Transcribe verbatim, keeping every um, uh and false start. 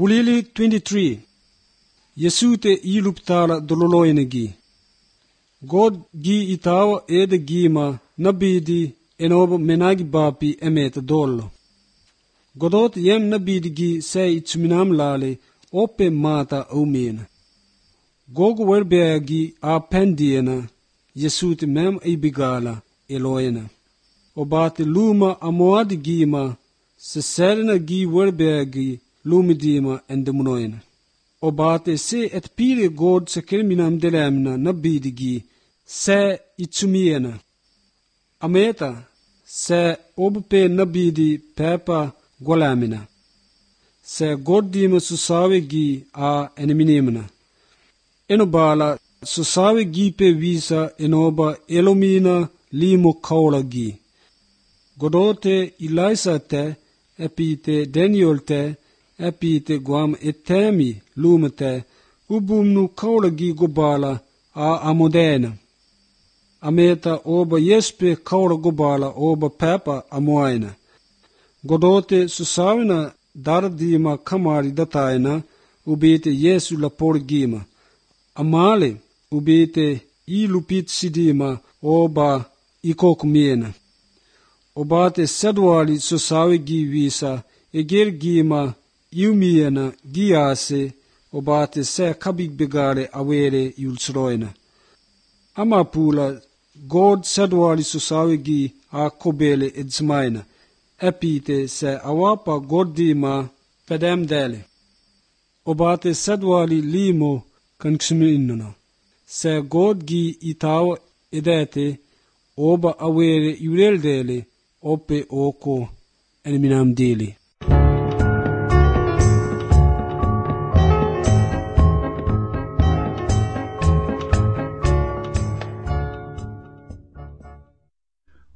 Gulili twenty-three. Yesute iluptala dololoinegi. God gi itawa ede gima nabidi enob menagi bapi emeta dollo. Godot yem nabidi gi sei itsuminam lale ope mata umena. Gogo werbeagi a pendiena Yesute mem ibigala eloena. Obate luma amoadi gima se serena gi werbeagi lumidima endemunoena. Obate se et pire God se kerminam delemna nabidigi se itsumiena. Ameta se obpe nabidi pepa golamina. Se goddima susawe gi a eneminimna. Enobala susawe gi pe visa enoba elomina limo kaula gi. Godote Elisa te epite Daniel te epite guam etemi lumete ubumnu kaulagi gobala a amodena. Ameta oba yespe kaula gobala oba pepa amoaina. Godote susawina dardima kamari dataina ubite Yesu laporgima. Amale ubite ilupit sidima oba ikokmiena. Obate sedwali susawi gi visa eger gima Yumiena giase obate se kabig begare awere yulsroina. Amapula God sedwali susawi gi a kobele edzmaina. Epite se awapa goddima pedem dele. Obate sedwali limo kanksminuna. Se God gi itawa edete oba awere yureldele ope oko enminam dele.